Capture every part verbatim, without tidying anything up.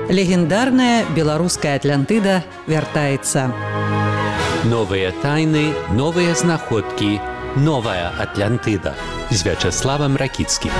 Легендарная беларуская Атлантыда вяртаецца. Новыя тайны, новыя знаходкі, новая Атлантыда з Вячаславам Ракіцкім.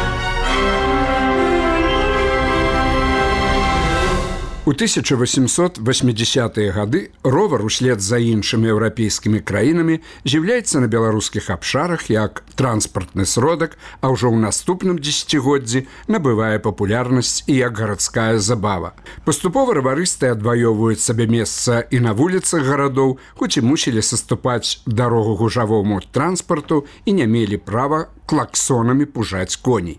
У тысяча восемьсот восьмидесятые гады ровар услед за іншымі еўрапейскімі краінамі з'яўляецца на беларускіх абшарах як транспартны сродак, а ўжо ў наступным дзесяцігоддзі набывае папулярнасць і як гарадская забава. Паступова раварысты адваёвваюць сабе месца і на вуліцах гарадоў, хоць і мусілі саступаць дарогу гужавому транспарту і не мелі права клаксонамі пужаць коней.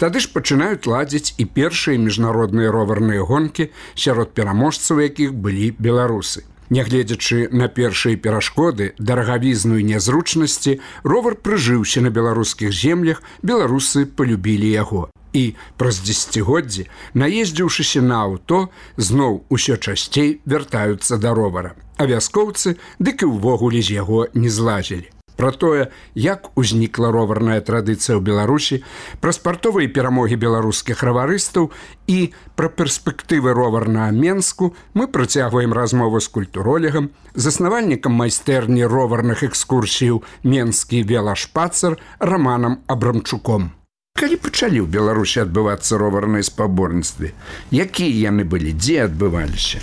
Тады ж пачынаюць ладзіць і першыя міжнародныя роварныя гонкі, сярод пераможцаў якіх былі беларусы. Нягледзячы на першыя перашкоды, дарагавізну і нязручнасці, ровар прыжыўся на беларускіх землях, беларусы палюбілі яго. І праз дзесяцігоддзі, наездзіўшыся на аўто, зноў усё часцей вяртаюцца да ровара. А вяскоўцы дык і ўвогуле з яго не злазілі. Пра тое, як узнікла роварная традыцыя ў Беларусі, пра спартовыя перамогі беларускіх раварыстаў і пра перспектывы ровар на Менску мы працягваем размову з культуролегам, заснавальнікам майстэрні роварных экскурсіяў «Менскі велашпацар» Раманам Абрамчуком. Калі пачалі ў Беларусі адбывацца роварныя спаборніцтвы? Якія яны былі, дзе адбываліся?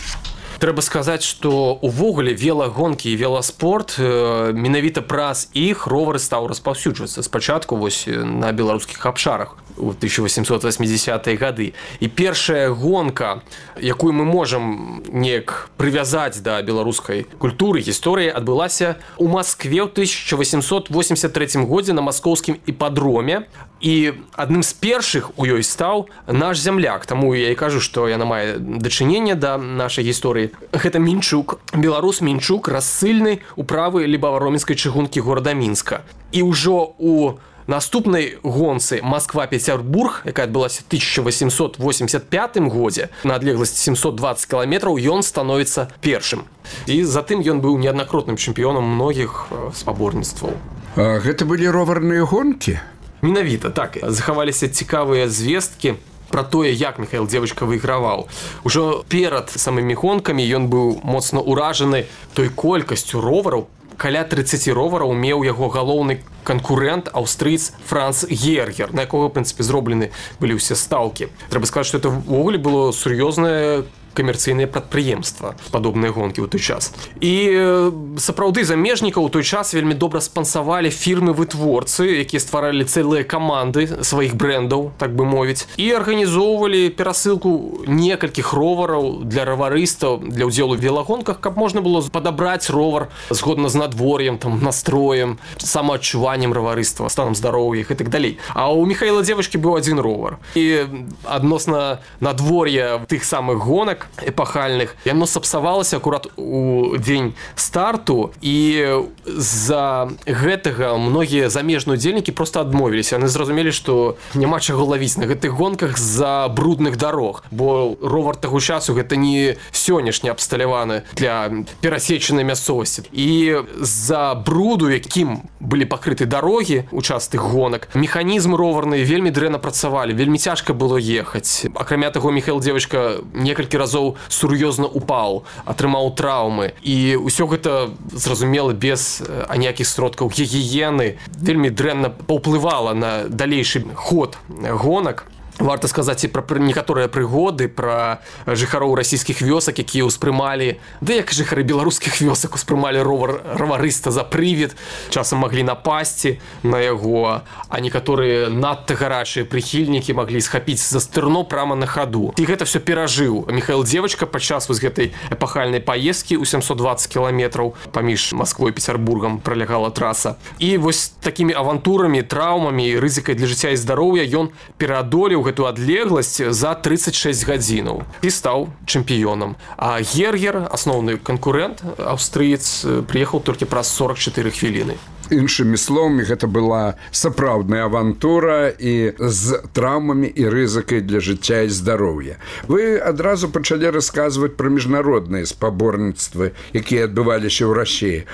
Трэба сказаць, што увогуле велагонкі і веласпорт менавіта праз іх ровары стаў распаўсюджвацца спачатку вось на беларускіх абшарах у тысяча восемьсот восьмидесятые гады. І першая гонка, якую мы можам неяк прывязаць да беларускай культуры, гісторыі, адбылася ў Маскве ў тысяча восемьсот восемьдесят третьем годзе на маскоўскім іпадроме. І адным з першых у ёй стаў наш зямляк. Таму я і кажу, што яна мае дачыненне да нашай гісторыі. Гэта Мінчук, беларус Мінчук, рассыльны управы лібава-роменскай чыгункі горада Мінска. І ўжо у наступнай гонцы Москва-Петербург, якая адбылася ў тысяча восемьсот восемьдесят пятым годзе, на адлегласці семьсот двадцать кіламетраў, ён становіцца першым. І затым ён быў неаднакратным чэмпіёнам многіх спаборніцтваў. А гэта былі роварныя гонкі? Менавіта, так. Захаваліся цікавыя звесткі пра тое, як Міхаіл Дзевачка выйграваў. Ужо перад самымі гонкамі ён быў моцна ўражаны той колькасцю ровараў. Каля тридцати ровараў меў яго галоўны канкурэнт, аўстрыец Франц Гергер, на якога, в прынцыпе, зроблены былі ўсе стаўкі. Трэба сказаць, што это ўвогуле было сур'ёзнае камерцыйныя прадпрыемства, падобныя гонкі ў той час. І сапраўды замежнікаў у той час вельмі добра спансавалі фірмы-вытворцы, якія стваралі цэлыя каманды сваіх брэндаў, так бы мовіць, і арганізоўвалі перасылку некалькіх ровараў для раварыстаў, для ўдзелу ў велагонках, каб можна было падабраць ровар згодна з надвор'ем, там, настроем, самаадчуваннем раварыства, станам здароўя і так далей. А ў Міхаіла Дзевачкі быў адзін ровар. І адносна надвор'я тых самых гонак эпахальных, яно сапсавалася акурат у дзень старту, і з-за гэтага многія замежныя удзельнікі проста адмовіліся. Яны зразумелі, што няма чаго лавіць на гэтых гонках з-за брудных дарог, бо ровар таго часу гэта не сённяшні абсталяваны для перасечанай мясцовасці. І з-за бруду, якім былі пакрыты дарогі у час тых гонак, механізм роварны вельмі дрэнна працавалі, вельмі цяжка было ехаць. Акрамя таго, Міхаіл Дзевачка некалькі разоў сур'ёзна упаў, атрымаў траўмы. І ўсё гэта, зразумела, без аніякіх сродкаў гігіены вельмі дрэнна паўплывала на далейшы ход гонак. Варта сказаць і пра некаторыя прыгоды, пра жыхароў расійскіх вёсак, якія ўспрымалі, да як жыхары беларускіх вёсак успрымалі ровар раварыста за прывід, часам маглі напасці на яго, а некаторыя надта гарачыя прыхільнікі маглі схапіць за стырно прама на хаду. І гэта ўсё перажыў Міхаіл Дзевачка падчас вось гэтай эпахальнай паездкі ў семьсот двадцать кіламетраў паміж Масквой і Петербургам пролягала траса. І вось такімі авантурамі, траўмамі, рызыкай для жыцця і здароўя ён пераадолеў гэту адлегласць за тридцать шесть гадзінаў і стаў чэмпіёнам. А Гергер, асноўны канкурэнт, аўстрыец, прыехаў толькі праз сорок чатыры хвіліны. Іншымі словамі, гэта была сапраўдная авантура і з траўмамі і рызыкай для жыцця і здароўя. Вы адразу пачалі расказваць пра міжнародныя спаборніцтвы, якія адбываліся ў Расіі.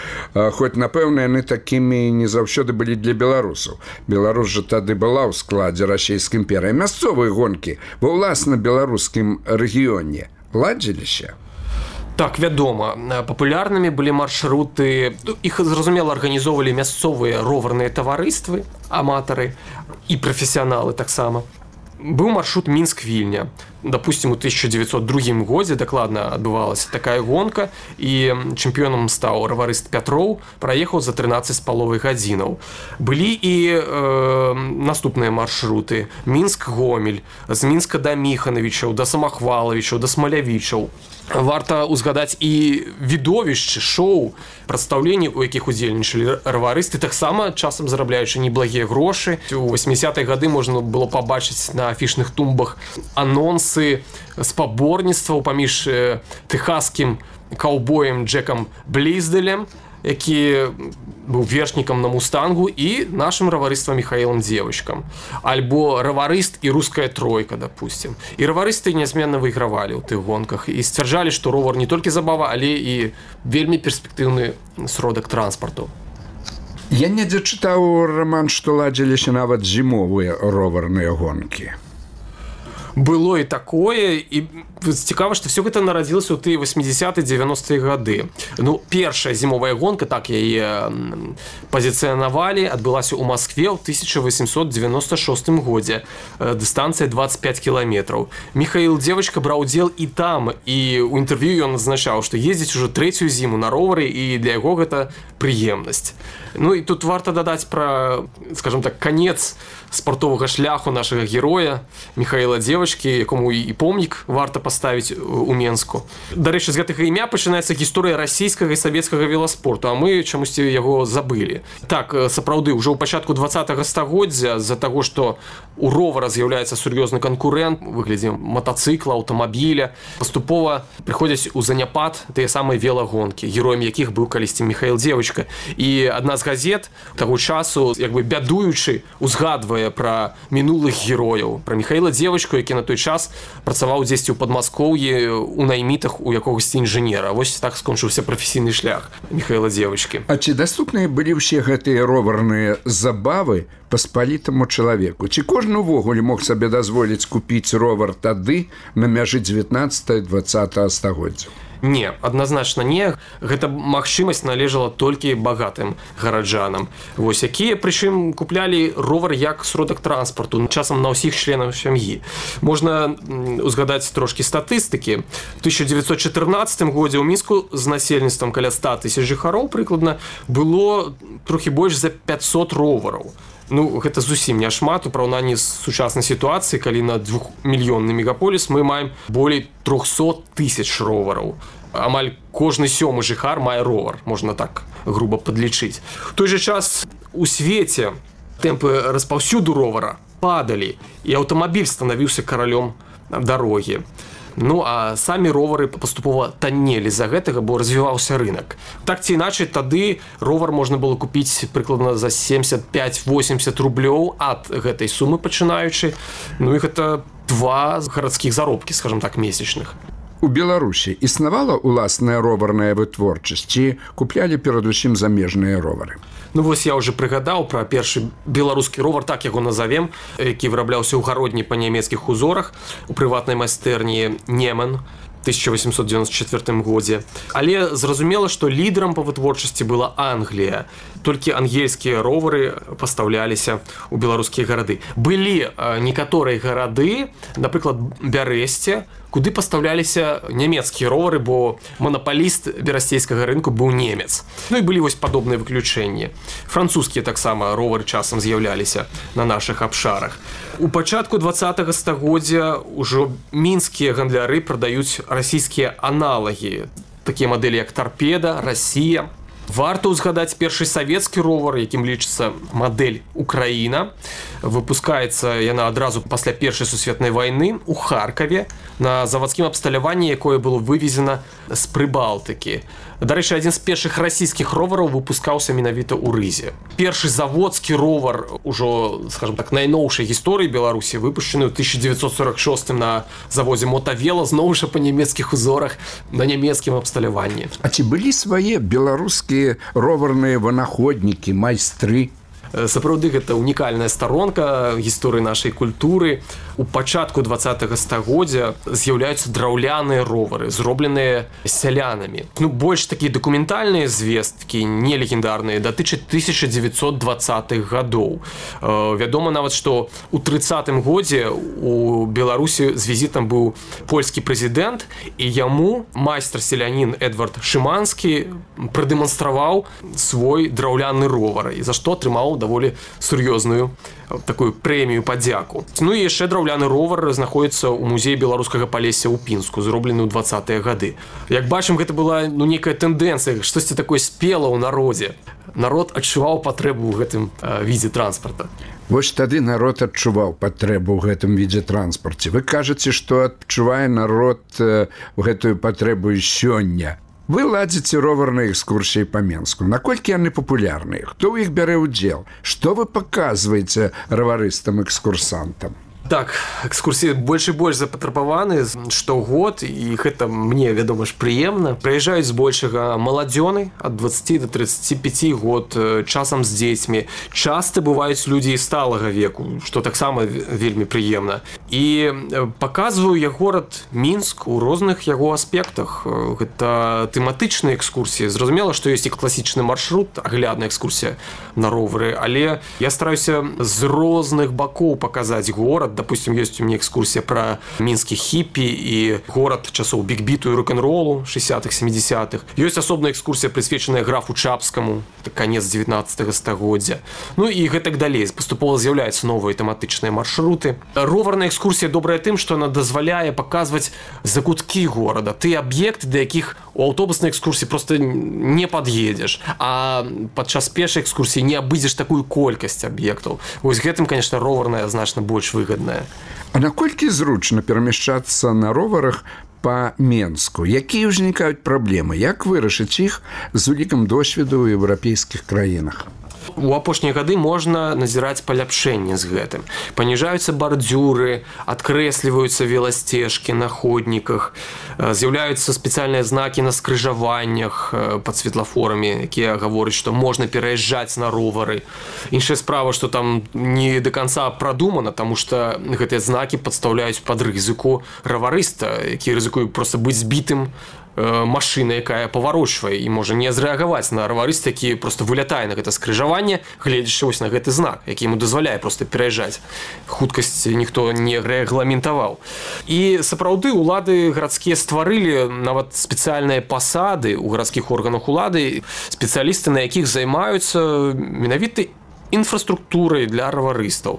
Хоць, напэўна, яны такімі не заўсёды былі для беларусаў. Беларусь жа тады была ў складзе расійскай імперыі. Мясцовыя гонкі ва ўласна беларускім рэгіёне. ладзіліся? Так, вядома, папулярнымі былі маршруты, іх, зразумела, арганізоўвалі мясцовыя роварныя таварыствы, аматары і прафесіяналы таксама. Быў маршрут Мінск-Вільня. Допустим, у тысяча девятьсот другім годзе дакладна адбывалася такая гонка, і чэмпіёнам стаў раварыст Пятроў, праехаў за трынаццаць з паловай гадзінаў. Былі і э, наступныя маршруты: Мінск-Гомель, з Мінска да Міханавічаў, да Самахвалавічаў, да Смалявічаў. Варта ўзгадаць і відовішчы, шоу, прадстаўленні, у якіх удзельнічалі раварысты, таксама часам зарабляючы неблагія грошы. У восьмідзясятыя гады можна было пабачыць на афішных тумбах анонсы спаборніцтваў паміж тэхаскім каўбоем Джекам Бліздэлем, які быў вершнікам на мустангу, і нашым раварыствам Михаилом Девочкам. Альбо раварыст і руская тройка, допустим. І раварысты нязменна выйгравалі ў тых гонках і сцвярджалі, што ровар не толькі забава, але і вельмі перспектыўны сродак транспарту. Я недзе чытаў, Роман, што ладзіліся нават зімовыя роварныя гонкі. Было і такое, і цікава, што все гэта нарадзілася ў тыя восьмідзясятыя дзевяностыя гады. Ну, першая зімовая гонка, так яе пазіцыянавалі, адбылася ў Маскве ў тысяча восемьсот девяносто шостым годзе. Дыстанцыя двадцать пять кіламетраў. Михаил Девочка браў удзел і там, і ў інтэрв'ю ён азначаў, што ездзіць ужо трэцюю зіму на ровары, і для яго гэта прыемнасць. Ну і тут варта дадаць пра, скажем так, канец спартовага шляху нашага героя Михаила Девочки, якому і помнік варта паставіць у Менску. Дарэчы, з гэтага імя пачынаецца гісторыя расійскага і савецкага веласпорту, а мы чамусьці яго забылі. Так, сапраўды, ўжо ў пачатку двадцатага стагоддзя з-за таго, што у ровара з'яўляецца сур'ёзны канкурэнт у выглядзе матацыкла, аўтамабіля, паступова прыходзяць у заняпад тыя самыя велагонкі, героем якіх быў калісьці Михаил Девочка. І адна з газет таго часу, як бы бядуючы, узгадвае пра мінулых герояў, пра Михаила Девочку, які на той час працаваў дзесьці ў Падмаскоўі у наймітах у якогасьці інжынера. Вось так скончыўся прафесійны шлях Михаила Девочки. А ці даступныя былі ўсе гэтыя роварныя забавы паспалітаму чалавеку? Ці кожны ўвогуле мог сабе дазволіць купіць ровар тады на мяжы дзевятнаццатага-дваццатага стагоддзя? Не, адназначна не. Гэта магчымасць належала толькі багатым гараджанам. Вось якія, прычым, куплялі ровар як сродак транспарту, часам на ўсіх членаў сям'і. Можна узгадаць трошкі статыстыкі. У тысяча девятьсот чатырнаццатым годзе ў Мінску з насельніцтвам каля ста тысяч жыхароў прыкладна было трохі больш за пятьсот ровараў. Ну, гэта зусім не шмат у параўнанні з сучаснай сітуацыяй, калі на двухмільённы мегаполіс мы маем болей трохсот тысяч ровараў. Амаль кожны сёмы жыхар мае ровар, можна так груба падлічыць. У той жа час у свеце тэмпы распаўсюду ровара падалі, і аўтамабіль станавіўся каралём дарогі. Ну, а самі ровары паступова таннелі з-за гэтага, бо развіваўся рынак. Так ці іначай, тады ровар можна было купіць прыкладна за семьдесят пять восемьдесят рублёў ад гэтай сумы пачынаючы. Ну, і гэта два гарадскіх заробкі, скажем так, месячных. У Беларусі існавала ўласная роварная вытворчасць, ці куплялі перадусім замежныя ровары? Ну, вось я ўжо прыгадаў пра першы беларускі ровар, так яго назавем, які вырабляўся ў гародні па нямецкіх узорах у прыватнай майстэрні Немен тысяча восемьсот девяносто четвёртым годзе. Але зразумела, што лідарам па вытворчасці была Англія. Толькі ангельскія ровары пастаўляліся ў беларускія гарады. Былі некаторыя гарады, напрыклад, Бярэсце, куды пастаўляліся нямецкія ровары, бо манапаліст берасцейскага рынку быў немец. Ну і былі вось падобныя выключэнні. Французскія таксама ровары часам з'яўляліся на нашых абшарах. У пачатку двадцатага стагоддзя ўжо мінскія гандляры прадаюць расійскія аналагі, такія мадэлі як Торпеда, Расія. Варта ўзгадаць першы савецкі ровар, якім лічыцца мадэль Украіна. Выпускаецца яна адразу пасля першай сусветнай вайны ў Харкаве на завадскім абсталяванні, якое было вывезена з Прыбалтыкі. Дарэчы, адзін з першых расійскіх ровараў выпускаўся менавіта ў Рызе. Першы заводскі ровар ужо, скажем так, найноўшай гісторыі Беларусі выпушчаны ў тысяча девятьсот сорок шостым на заводзе Мотавела, зноў жа па нямецкіх узорах на нямецкім абсталяванні. А ці былі свае беларускія роварныя вынаходнікі, майстры? Сапраўды гэта унікальная старонка гісторыі нашай культуры. У пачатку двадцатага стагоддзя з'яўляюцца драўляныя ровары, зробленыя сялянамі. Ну, больш такія дакументальныя звесткі, не легендарныя, датычаць тысяча дзевяцьсот двадцатых гадоў. Вядома нават, што ў трыццатым годзе у Беларусі з візітам быў польскі прэзідэнт, і яму майстар-селянін Эдвард Шыманскі прадэманстраваў свой драўляны ровар, і за што атрымаў даволі сур'ёзную такую прэмію падзяку. Ну і яшчэ драўляны ровар знаходіцца ў музеі беларускага Палесся ў Пінску, зроблены ў двадцатыя гады. Як бачым, гэта была ну, некая тэндэнцыя, штосьці такое спела ў народзе. Народ адчуваў патрэбу ў гэтым э, відзе транспарта. Вось тады народ адчуваў патрэбу ў гэтым відзе транспарце. Вы кажаце, што адчувае народ э, гэтую патрэбу і сёння. Вы ладзіце роварныя экскурсіі па Менску. Наколькі яны папулярныя? Хто ў іх бярэ ўдзел? Што вы паказваеце раварыстам-экскурсантам? Так, экскурсіі больш і больш запатрабаваны штогод, і гэта мне, вядома ж, прыемна. Прыязджаюць збольшага маладзёны ад дваццаці да трыццаці пяці год, часам з дзецьмі. Часта бываюць людзі і сталага веку, што таксама вельмі прыемна. І паказваю я горад Мінск у розных яго аспектах. Гэта тэматычныя экскурсіі. Зразумела, што ёсць і класічны маршрут, аглядная экскурсія на ровары, але я стараюся з розных бакоў паказаць горад. Допустим, есть у меня экскурсия про мінскіх хіппі і горад часоў биг-біту і рок-н-ролу шэсцятых сямідзясятых. Ёсць асобная экскурсія, прысвечаная графу Чапскаму, канец дзевятнаццатага стагоддзя. Ну і гэтак далей. Паступова з'яўляюцца новыя тэматычныя маршруты. Роварная экскурсія добрая тым, што она дазваляе паказваць закуткі горада, тыя аб'екты, да якіх у аўтобуснай экскурсіі проста не пад'едзеш, а падчас пешай экскурсіі не абыдзеш такую колькасць аб'ектаў. Вось гэтым, конечно, роварная значна больш выгадна. А наколькі зручна перамяшчацца на роварах па Менску? Якія ўзнікаюць праблемы? Як вырашыць іх з улікам досведу ў еўрапейскіх краінах? У апошнія гады можна назіраць паляпшэнне з гэтым. Паніжаюцца бардзюры, адкрэсліваюцца веласцежкі на ходніках, з'яўляюцца спецыяльныя знакі на скрыжаваннях пад светлафорамі, якія гавораць, што можна пераязджаць на ровары. Іншая справа, што там не да канца прадумана, таму што гэтыя знакі падстаўляюць пад рызыку раварыста, які рызыкуе проста быць збітым машына, якая паварочвае і можа не зрэагаваць на раварыста, які проста вылятае на гэта скрыжаванне, гледзячы вось на гэты знак, які яму дазваляе проста пераязджаць. Хуткасць ніхто не рэгламентаваў. І сапраўды улады гарадскія стварылі нават спецыяльныя пасады ў гарадскіх органах улады, спецыялісты, на якіх займаюцца менавіта інфраструктурай для раварыстаў.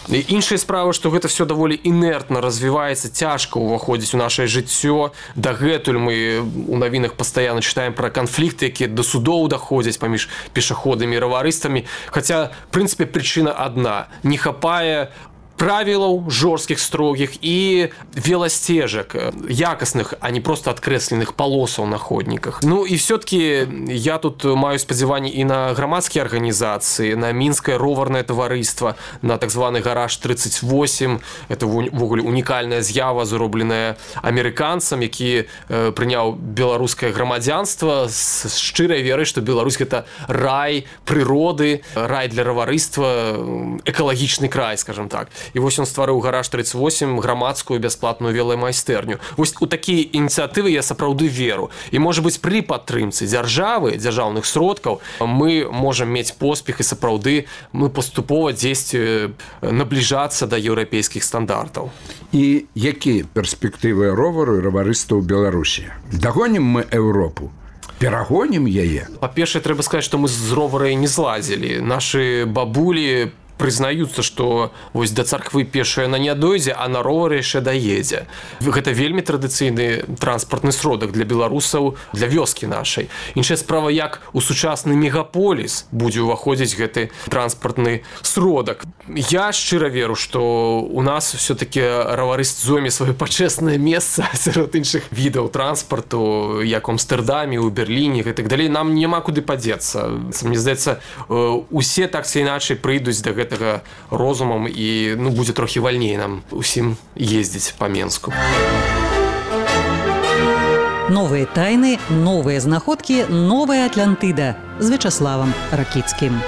Іншая справа, што гэта все даволі інертна развіваецца, цяжка ўваходзіць у нашае жыццё. Дагэтуль мы у навінах пастаянна чытаем пра канфлікты, якія да судоў даходзяць паміж пешаходамі і раварыстамі. Хаця, в прынцыпе, прычына адна. Не хапае правілаў жорсткіх, строгіх і веласцежак якасных, а не просто адкрэсленых палосаў на ходніках. Ну і все-таки я тут маю спадзяванні і на грамадскія арганізацыі, на мінскае роварнае таварыства, на так званы гараж тридцать восемь. Это ввогуле унікальная з'ява, зробленая амерыканцам, які э, прыняў беларускае грамадзянства з шчырай верай, што Беларусь гэта рай прыроды, рай для раварыства, экалагічны край, скажем так. І вось ён стварыў гараж тридцать восемь, грамадскую бясплатную веламайстэрню. Вось у такія ініцыятывы я сапраўды веру. І, можа быць, пры падтрымцы дзяржавы, дзяржаўных сродкаў мы можам мець поспех, і сапраўды мы паступова дзесьці набліжацца да еўрапейскіх стандартаў. І якія перспектывы ровару і раварыста ў Беларусі? Дагонім мы Еўропу? Перагонім яе? Па-першае, трэба сказаць, што мы з роварай не злазілі. Нашы бабулі прызнаюцца, што вось да царквы пешая на не дойдзе, а на ровары яшчэ даедзе. Гэта вельмі традыцыйны транспартны сродак для беларусаў, для вёскі нашай. Іншая справа, як у сучасны мегаполіс будзе ўваходзіць гэты транспартны сродак. Я шчыра веру, што у нас все-таки раварыст зойме сваё пачэснае месца сярод іншых відаў транспарту, як у Амстэрдаме, у Берліне і так далей. Нам няма куды падзецца. Мне здаецца, усе так ці іначай прыйдуць да гэтага розумам, і ну, будзе трохі вальней нам усім ездзіць па Менску. Новыя тайны, новыя знаходкі, новая Атлантыда з Вячаславам Ракіцкім.